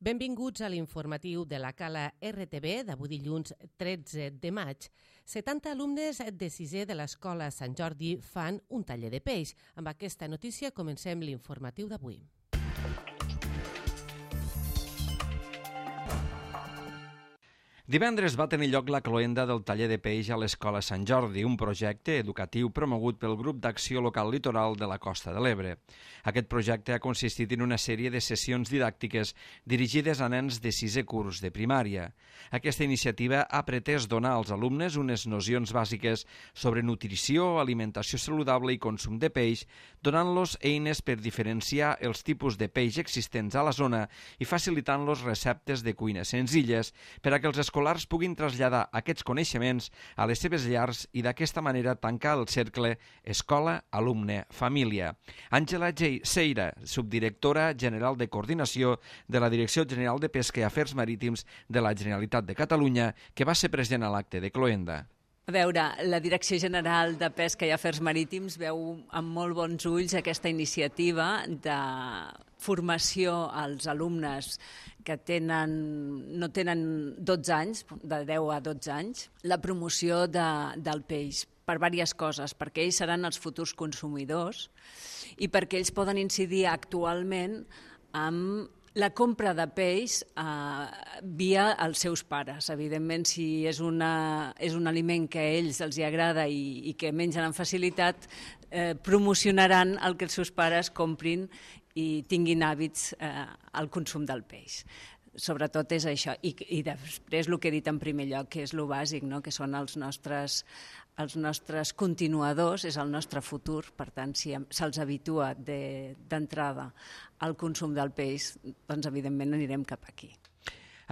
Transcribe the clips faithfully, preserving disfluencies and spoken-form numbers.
Benvinguts a l'informatiu de la Cala R T V d'avui dilluns tretze de maig. setanta alumnes de sisè de l'Escola Sant Jordi fan un taller de peix. Amb aquesta notícia comencem l'informatiu d'avui. Divendres va tenir lloc la cloenda del taller de peix a l'Escola Sant Jordi, un projecte educatiu promogut pel Grup d'Acció Local Litoral de la Costa de l'Ebre. Aquest projecte ha consistit en una sèrie de sessions didàctiques dirigides a nens de sisè curs de primària. Aquesta iniciativa ha pretès donar als alumnes unes nocions bàsiques sobre nutrició, alimentació saludable i consum de peix, donant-los eines per diferenciar els tipus de peix existents a la zona i facilitant-los receptes de cuina senzilles per a que els escolars puguin traslladar aquests coneixements a les seves llars i d'aquesta manera tancar el cercle escola-alumne-família. Àngela Seira, subdirectora general de coordinació de la Direcció General de Pesca i Afers Marítims de la Generalitat de Catalunya, que va ser present a l'acte de cloenda. A veure, la Direcció General de Pesca i Afers Marítims veu amb molt bons ulls aquesta iniciativa de formació als alumnes que tenen, no tenen dotze anys, de deu a dotze anys, la promoció de, del peix per diverses coses, perquè ells seran els futurs consumidors i perquè ells poden incidir actualment amb la compra de peix eh, via els seus pares. Evidentment, si és, una, és un aliment que a ells els hi agrada i, i que mengen amb facilitat, eh, promocionaran el que els seus pares comprin i tinguin hàbits eh, al consum del peix. Sobretot és això. I, i després el que he dit en primer lloc, que és el bàsic, no? Que són els nostres, els nostres continuadors, és el nostre futur. Per tant, si se'ls habitua d'entrada al consum del peix, doncs evidentment anirem cap aquí.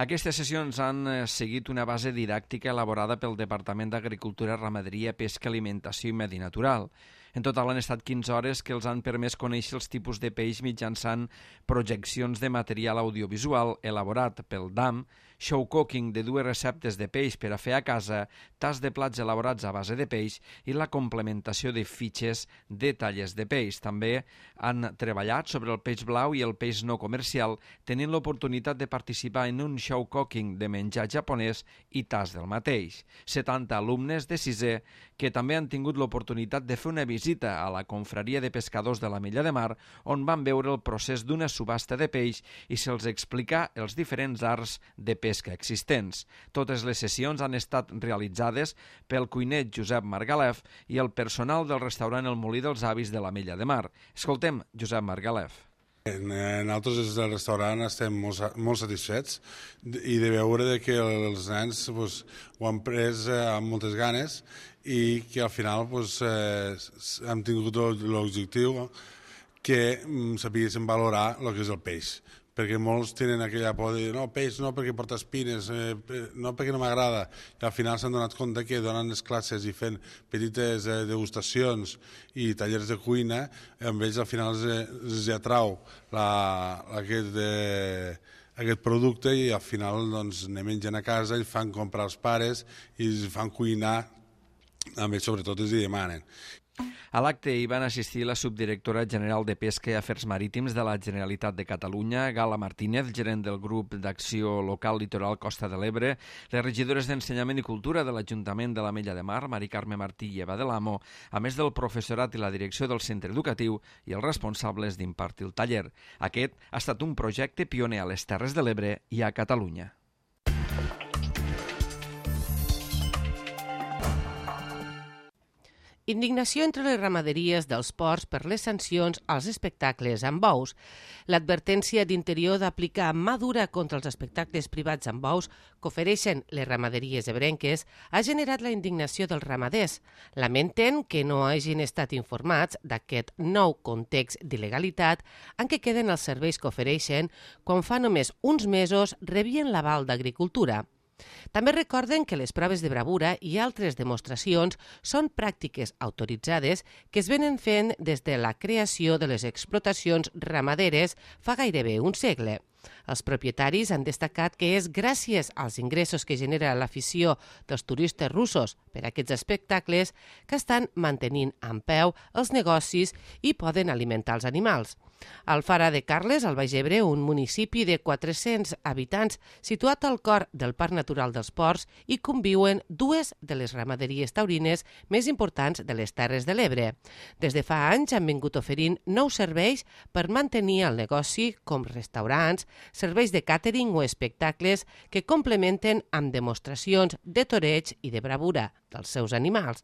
Aquestes sessions han seguit una base didàctica elaborada pel Departament d'Agricultura, Ramaderia, Pesca, Alimentació i Medi Natural. En total han estat quinze hores que els han permès conèixer els tipus de peix mitjançant projeccions de material audiovisual elaborat pel D A M, show cooking de dues receptes de peix per a fer a casa, tas de plats elaborats a base de peix i la complementació de fitxes de talles de peix. També han treballat sobre el peix blau i el peix no comercial, tenint l'oportunitat de participar en un show cooking de menjar japonès i tas del mateix. setanta alumnes de sisè que també han tingut l'oportunitat de fer una visita a la confraria de pescadors de la Mella de Mar, on van veure el procés d'una subhasta de peix i se'ls explicar els diferents arts de peix pesca existents. Totes les sessions han estat realitzades pel cuiner Josep Margalef i el personal del restaurant El Molí dels Avis de la Mella de Mar. Escoltem Josep Margalef. Nosaltres del restaurant estem molt, molt satisfets i de veure que els nens pues, ho han pres amb moltes ganes i que al final pues, eh, hem tingut l'objectiu que sapiguéssim valorar el que és el peix, perquè molts tenen aquella por de dir no, peix no perquè porta espines, eh, no perquè no m'agrada, i al final s'han donat compte que donant les classes i fent petites eh, degustacions i tallers de cuina, amb ells al final els, els atrau la, aquest, eh, aquest producte i al final doncs, ne mengen a casa i fan comprar als pares i els fan cuinar, amb ells sobretot els hi demanen. A l'acte hi van assistir la subdirectora general de Pesca i Afers Marítims de la Generalitat de Catalunya, Gala Martínez, gerent del grup d'Acció Local Litoral Costa de l'Ebre, les regidores d'Ensenyament i Cultura de l'Ajuntament de la Mella de Mar, Mari Carme Martí i Eva de l'Amo, a més del professorat i la direcció del centre educatiu i els responsables d'impartir el taller. Aquest ha estat un projecte pioner a les Terres de l'Ebre i a Catalunya. Indignació entre les ramaderies dels ports per les sancions als espectacles amb bous. L'advertència d'Interior d'aplicar mà dura contra els espectacles privats amb bous que ofereixen les ramaderies ebrenques ha generat la indignació dels ramaders. Lamenten que no hagin estat informats d'aquest nou context d'il·legalitat en què queden els serveis que ofereixen quan fa només uns mesos rebien l'aval d'Agricultura. També recorden que les proves de bravura i altres demostracions són pràctiques autoritzades que es venen fent des de la creació de les explotacions ramaderes fa gairebé un segle. Els propietaris han destacat que és gràcies als ingressos que genera l'afició dels turistes russos per a aquests espectacles que estan mantenint en peu els negocis i poden alimentar els animals. Alfara de Carles, al Baix Ebre, un municipi de quatre-cents habitants situat al cor del Parc Natural dels Ports, hi conviuen dues de les ramaderies taurines més importants de les Terres de l'Ebre. Des de fa anys han vingut oferint nous serveis per mantenir el negoci, com restaurants, serveis de càtering o espectacles que complementen amb demostracions de toreig i de bravura dels seus animals.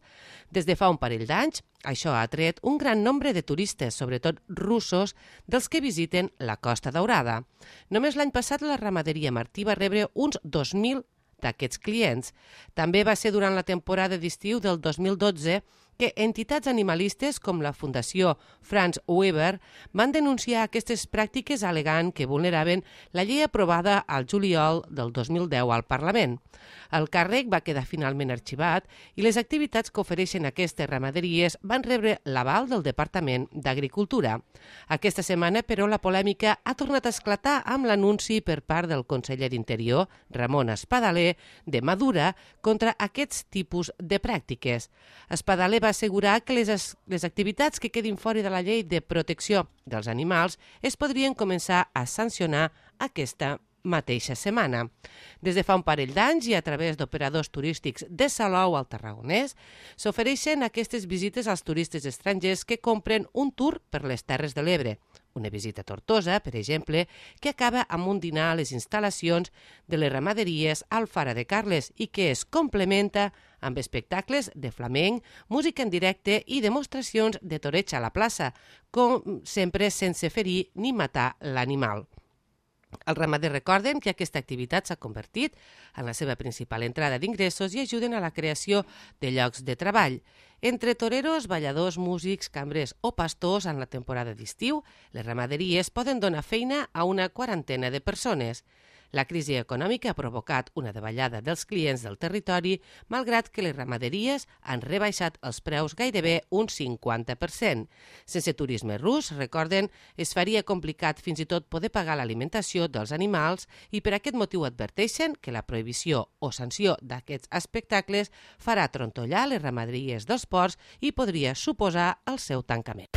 Des de fa un parell d'anys, això ha atret un gran nombre de turistes, sobretot russos, dels que visiten la Costa Daurada. Només l'any passat la ramaderia Martí va rebre uns dos mil d'aquests clients. També va ser durant la temporada d'estiu del dos mil dotze que entitats animalistes com la Fundació Franz Weber van denunciar aquestes pràctiques alegant que vulneraven la llei aprovada al juliol del dos mil deu al Parlament. El càrrec va quedar finalment arxivat i les activitats que ofereixen aquestes ramaderies van rebre l'aval del Departament d'Agricultura. Aquesta setmana, però, la polèmica ha tornat a esclatar amb l'anunci per part del conseller d'Interior, Ramon Espadaler, de Madura, contra aquests tipus de pràctiques. Espadaler va assegurar que les, les activitats que quedin fora de la llei de protecció dels animals es podrien començar a sancionar aquesta mateixa setmana. Des de fa un parell d'anys i a través d'operadors turístics de Salou al Tarragonès s'ofereixen aquestes visites als turistes estrangers que compren un tour per les Terres de l'Ebre. Una visita a Tortosa, per exemple, que acaba amb un dinar a les instal·lacions de les ramaderies Alfara de Carles i que es complementa amb espectacles de flamenc, música en directe i demostracions de toreig a la plaça, com sempre sense ferir ni matar l'animal. Els ramaders recorden que aquesta activitat s'ha convertit en la seva principal entrada d'ingressos i ajuden a la creació de llocs de treball. Entre toreros, balladors, músics, cambrers o pastors en la temporada d'estiu, les ramaderies poden donar feina a una quarantena de persones. La crisi econòmica ha provocat una davallada dels clients del territori, malgrat que les ramaderies han rebaixat els preus gairebé un cinquanta per cent. Sense turisme rus, recorden, es faria complicat fins i tot poder pagar l'alimentació dels animals i per aquest motiu adverteixen que la prohibició o sanció d'aquests espectacles farà trontollar les ramaderies dels ports i podria suposar el seu tancament.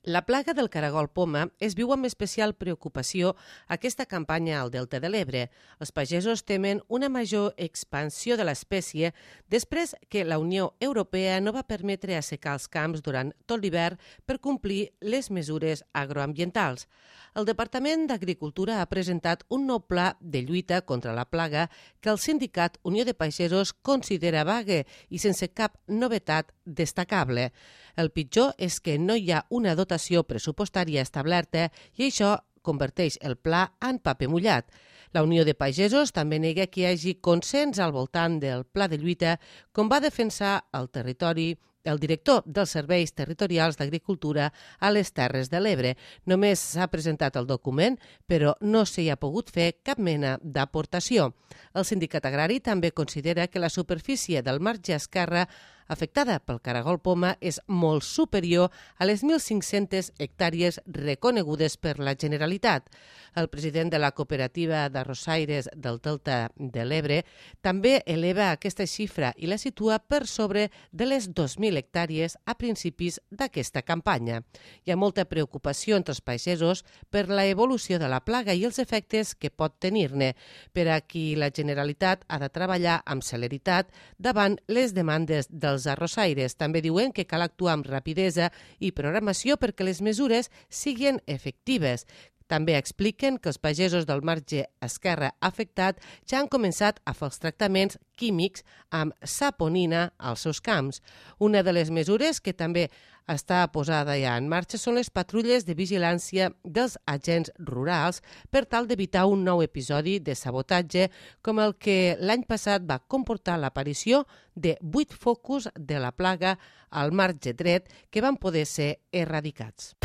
La plaga del caragol poma es viu amb especial preocupació aquesta campanya al Delta de l'Ebre. Els pagesos temen una major expansió de l'espècie després que la Unió Europea no va permetre assecar els camps durant tot l'hivern per complir les mesures agroambientals. El Departament d'Agricultura ha presentat un nou pla de lluita contra la plaga que el sindicat Unió de Pagesos considera vague i sense cap novetat destacable. El pitjor és que no hi ha una dotació pressupostària establerta i això converteix el pla en paper mullat. La Unió de Pagesos també nega que hi hagi consens al voltant del pla de lluita, com va defensar el territori el director dels Serveis Territorials d'Agricultura a les Terres de l'Ebre. Només s'ha presentat el document, però no s'hi ha pogut fer cap mena d'aportació. El sindicat agrari també considera que la superfície del marge esquerre afectada pel caragol poma és molt superior a les mil cinc-centes hectàrees reconegudes per la Generalitat. El president de la cooperativa d'arrossaires del Delta de l'Ebre també eleva aquesta xifra i la situa per sobre de les dos mil hectàrees a principis d'aquesta campanya. Hi ha molta preocupació entre els pagesos per la evolució de la plaga i els efectes que pot tenir-ne, per a qui la Generalitat ha de treballar amb celeritat davant les demandes dels arrossaires. També diuen que cal actuar amb rapidesa i programació perquè les mesures siguin efectives. També expliquen que els pagesos del marge esquerre afectat ja han començat a fer els tractaments químics amb saponina als seus camps. Una de les mesures que també està posada ja en marxa són les patrulles de vigilància dels agents rurals per tal d'evitar un nou episodi de sabotatge com el que l'any passat va comportar l'aparició de vuit focus de la plaga al marge dret que van poder ser erradicats.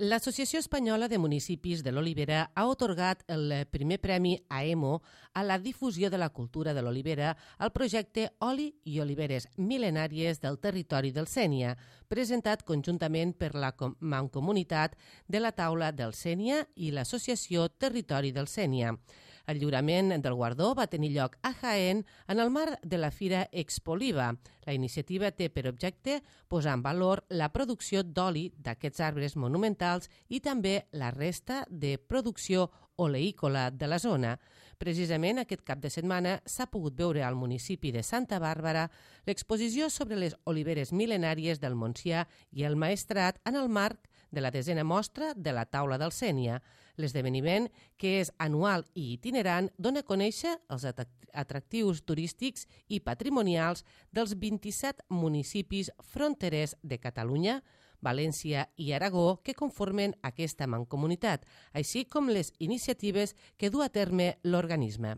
L'Associació Espanyola de Municipis de l'Olivera ha atorgat el primer premi a E M O a la difusió de la cultura de l'olivera al projecte Oli i Oliveres Mil·lenàries del Territori del Sénia, presentat conjuntament per la Mancomunitat de la Taula del Sénia i l'Associació Territori del Sénia. El lliurament del guardó va tenir lloc a Jaén en el marc de la Fira Expoliva. La iniciativa té per objecte posar en valor la producció d'oli d'aquests arbres monumentals i també la resta de producció oleícola de la zona. Precisament aquest cap de setmana s'ha pogut veure al municipi de Santa Bàrbara l'exposició sobre les oliveres mil·lenàries del Montsià i el Maestrat en el marc de la desena mostra de la Taula del Sénia. L'esdeveniment, que és anual i itinerant, dona a conèixer els atractius turístics i patrimonials dels vint-i-set municipis fronterers de Catalunya, València i Aragó que conformen aquesta mancomunitat, així com les iniciatives que du a terme l'organisme.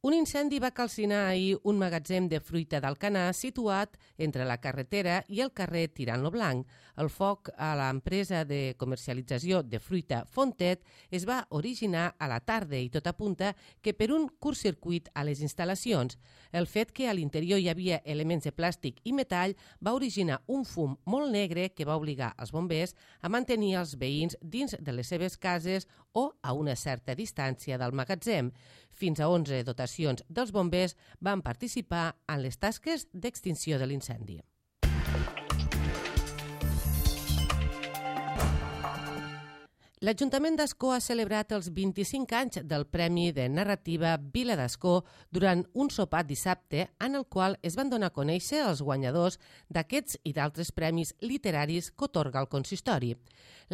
Un incendi va calcinar ahir un magatzem de fruita d'Alcanar situat entre la carretera i el carrer Tirant-lo Blanc. El foc a l'empresa de comercialització de fruita Fontet es va originar a la tarda i tot apunta que per un curtcircuit a les instal·lacions. El fet que a l'interior hi havia elements de plàstic i metall va originar un fum molt negre que va obligar els bombers a mantenir els veïns dins de les seves cases o a una certa distància del magatzem. Fins a onze dotacions dels bombers van participar en les tasques d'extinció de l'incendi. L'Ajuntament d'Ascó ha celebrat els vint-i-cinc anys del Premi de Narrativa Vila d'Ascó durant un sopar dissabte en el qual es van donar a conèixer els guanyadors d'aquests i d'altres premis literaris que atorga el consistori.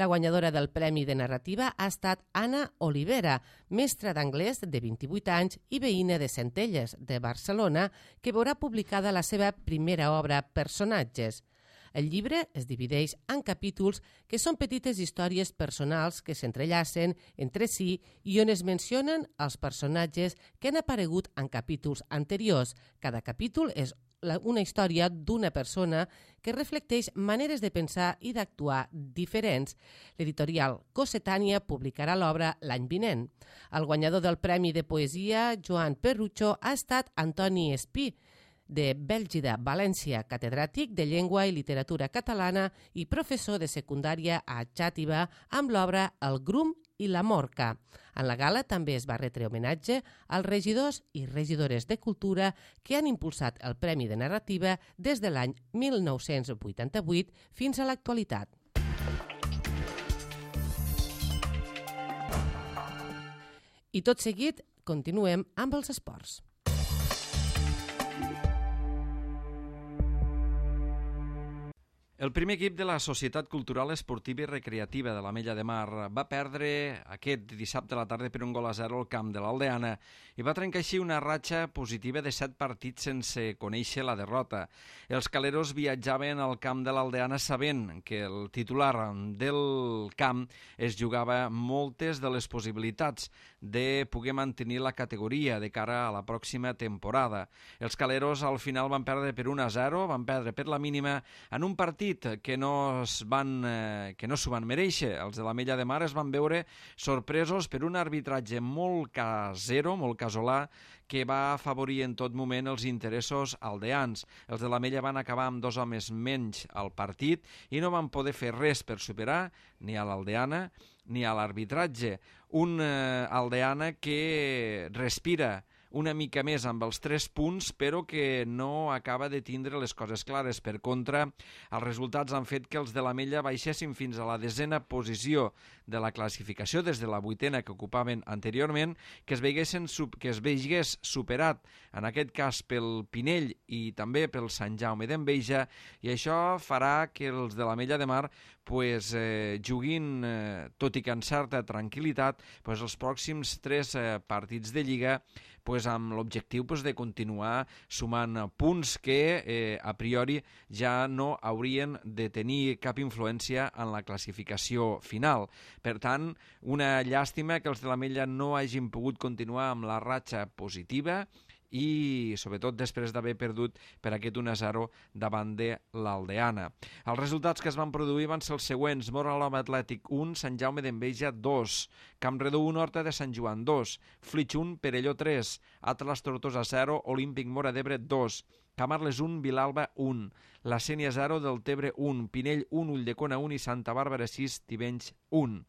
La guanyadora del Premi de Narrativa ha estat Anna Olivera, mestra d'anglès de vint-i-vuit anys i veïna de Centelles, de Barcelona, que veurà publicada la seva primera obra Personatges. El llibre es divideix en capítols que són petites històries personals que s'entrellacen entre si i on es mencionen els personatges que han aparegut en capítols anteriors. Cada capítol és una història d'una persona que reflecteix maneres de pensar i d'actuar diferents. L'editorial Cossetània publicarà l'obra l'any vinent. El guanyador del Premi de Poesia, Joan Perrucho, ha estat Antoni Espí, de Bèlgida, València, catedràtic de Llengua i Literatura Catalana i professor de secundària a Xàtiva amb l'obra El Grum i la Morca. En la gala també es va retre homenatge als regidors i regidores de Cultura que han impulsat el Premi de Narrativa des de l'any mil nou-cents vuitanta-vuit fins a l'actualitat. I tot seguit continuem amb els esports. El primer equip de la Societat Cultural Esportiva i Recreativa de l'Ametlla de Mar va perdre aquest dissabte a la tarda per un gol a zero al camp de l'Aldeana i va trencar així una ratxa positiva de set partits sense conèixer la derrota. Els caleros viatjaven al camp de l'Aldeana sabent que el titular del camp es jugava moltes de les possibilitats de poder mantenir la categoria de cara a la pròxima temporada. Els caleros al final van perdre per un a zero, van perdre per la mínima en un partit que no es van, eh, que no s'ho van mereixer. Els de l'Ametlla de Mar es van veure sorpresos per un arbitratge molt casero, molt casolà, que va afavorir en tot moment els interessos aldeans. Els de l'Ametlla van acabar amb dos homes menys al partit i no van poder fer res per superar ni a l'Aldeana ni a l'arbitratge. Un eh, Aldeana que respira una mica més amb els tres punts, però que no acaba de tindre les coses clares. Per contra, els resultats han fet que els de l'Ametlla baixessin fins a la desena posició de la classificació, des de la vuitena que ocupaven anteriorment, que es, veiguessin, que es veigués superat, en aquest cas pel Pinell i també pel Sant Jaume d'Enveja, i això farà que els de l'Ametlla de Mar pues, eh, juguin, eh, tot i que en certa tranquil·litat, pues, els pròxims tres eh, partits de Lliga pues, amb l'objectiu pues, de continuar sumant punts que eh, a priori ja no haurien de tenir cap influència en la classificació final. Per tant, una llàstima que els de l'Ametlla no hagin pogut continuar amb la ratxa positiva i sobretot després d'haver perdut per aquest un a zero davant de l'Aldeana. Els resultats que es van produir van ser els següents: Moralom Atlètic un, Sant Jaume d'Enveja dos, Campredó un, Horta de Sant Joan dos, Flix un, Perelló tres, Atlas Tortosa zero, Olímpic Móra d'Ebre dos, Camarles un, Vilalba un, La Sénia zero, Deltebre un, Pinell un, Ulldecona un i Santa Bàrbara sis, Tivenys un.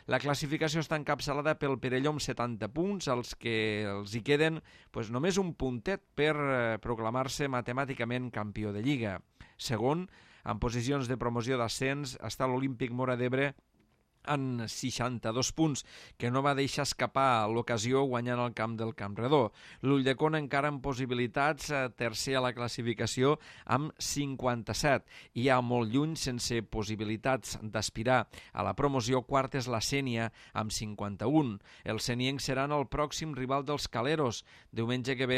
La classificació està encapçalada pel Perelló amb setanta punts, els que els hi queden pues, només un puntet per eh, proclamar-se matemàticament campió de Lliga. Segon, en posicions de promoció d'ascens, està l'Olímpic Móra d'Ebre en seixanta-dos punts, que no va deixar escapar l'ocasió guanyant el camp del Campredó. L'Ulldecona encara amb possibilitats, eh, tercer a la classificació amb cinquanta-set. I ja molt lluny, sense possibilitats d'aspirar a la promoció, quart és la Sénia amb cinquanta-un. Els seniencs seran el pròxim rival dels Caleros, diumenge que ve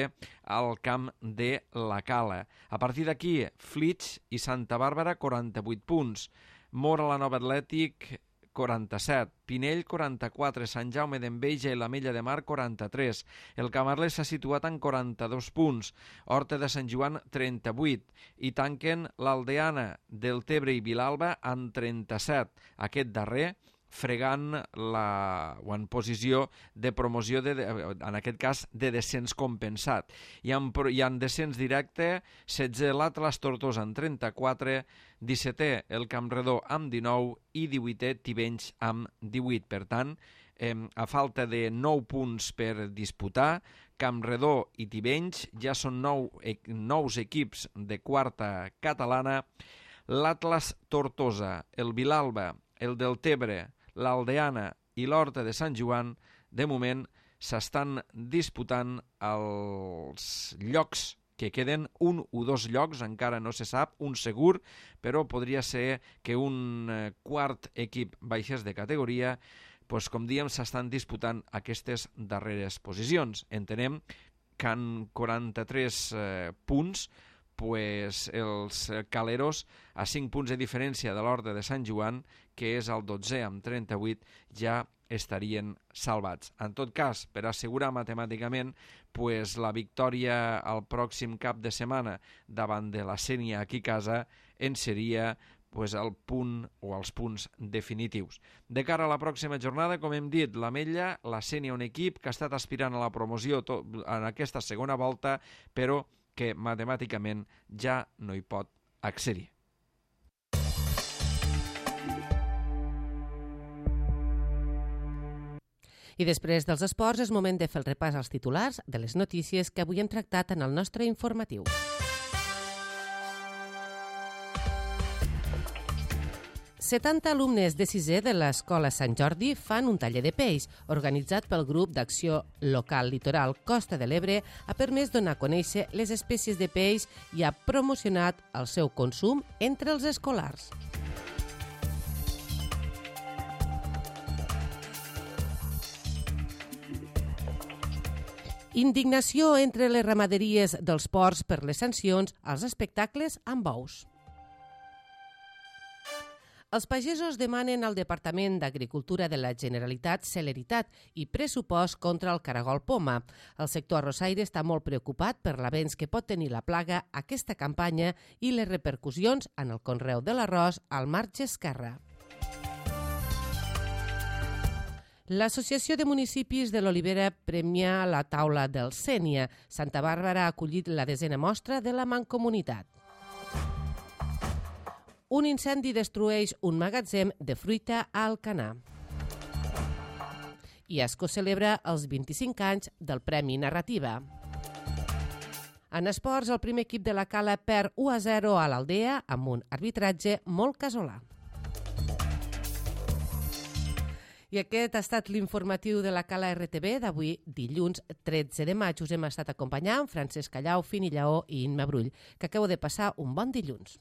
al camp de la Cala. A partir d'aquí, Flix i Santa Bàrbara, quaranta-vuit punts. Mora la Nova Atlètic, quaranta-set, Pinell quaranta-quatre, Sant Jaume d'Enveja i l'Ametlla de Mar quaranta-tres, el Camarles s'ha situat en quaranta-dos punts, Horta de Sant Joan trenta-vuit i tanquen l'Aldeana, Deltebre i Vilalba en trenta-set, aquest darrer fregant la, o en posició de promoció, de, en aquest cas de descens compensat. I en, i en descens directe, setze l'Atlas Tortosa en trenta-quatre, dissetè el Campredó amb dinou i divuitè Tivenys amb divuit. Per tant, eh, a falta de nou punts per disputar, Campredó i Tivenys ja són nou, eh, nous equips de quarta catalana. L'Atlas Tortosa, el Vilalba, el Deltebre, l'Aldeana i l'Horta de Sant Joan, de moment, s'estan disputant els llocs que queden, un o dos llocs, encara no se sap, un segur, però podria ser que un quart equip baixés de categoria, doncs, com diem, s'estan disputant aquestes darreres posicions. Entenem que en quaranta-tres eh, punts, pues els Caleros, a cinc punts de diferència de l'Horta de Sant Joan, que és el dotzè amb trenta-vuit, ja estarien salvats. En tot cas, per assegurar matemàticament, pues, la victòria al pròxim cap de setmana davant de la Sénia aquí a casa en seria pues, el punt o els punts definitius. De cara a la pròxima jornada, com hem dit, l'Ametlla, la Sénia, un equip que ha estat aspirant a la promoció tot, en aquesta segona volta, però que matemàticament ja no hi pot accedir. I després dels esports és moment de fer el repàs als titulars de les notícies que avui hem tractat en el nostre informatiu. setanta alumnes de sisè de l'Escola Sant Jordi fan un taller de peix organitzat pel grup d'acció local litoral Costa de l'Ebre. Ha permès donar a conèixer les espècies de peix i ha promocionat el seu consum entre els escolars. Indignació entre les ramaderies dels ports per les sancions als espectacles amb bous. Els pagesos demanen al Departament d'Agricultura de la Generalitat celeritat i pressupost contra el caragol poma. El sector arrossaire està molt preocupat per l'avenç que pot tenir la plaga aquesta campanya i les repercussions en el conreu de l'arròs al marge esquerre. L'Associació de Municipis de l'Olivera premia la taula del Sénia. Santa Bàrbara ha acollit la desena mostra de la Mancomunitat. Un incendi destrueix un magatzem de fruita a Alcanar. I Asco celebra els vint-i-cinc anys del Premi Narrativa. En esports, el primer equip de la Cala perd u a zero a l'Aldea amb un arbitratge molt casolà. I aquest ha estat l'informatiu de la Cala R T B d'avui, dilluns tretze de maig. Us hem estat acompanyant Francesc Callau, Fini Lleó i Imma Brull. Que acabeu de passar un bon dilluns.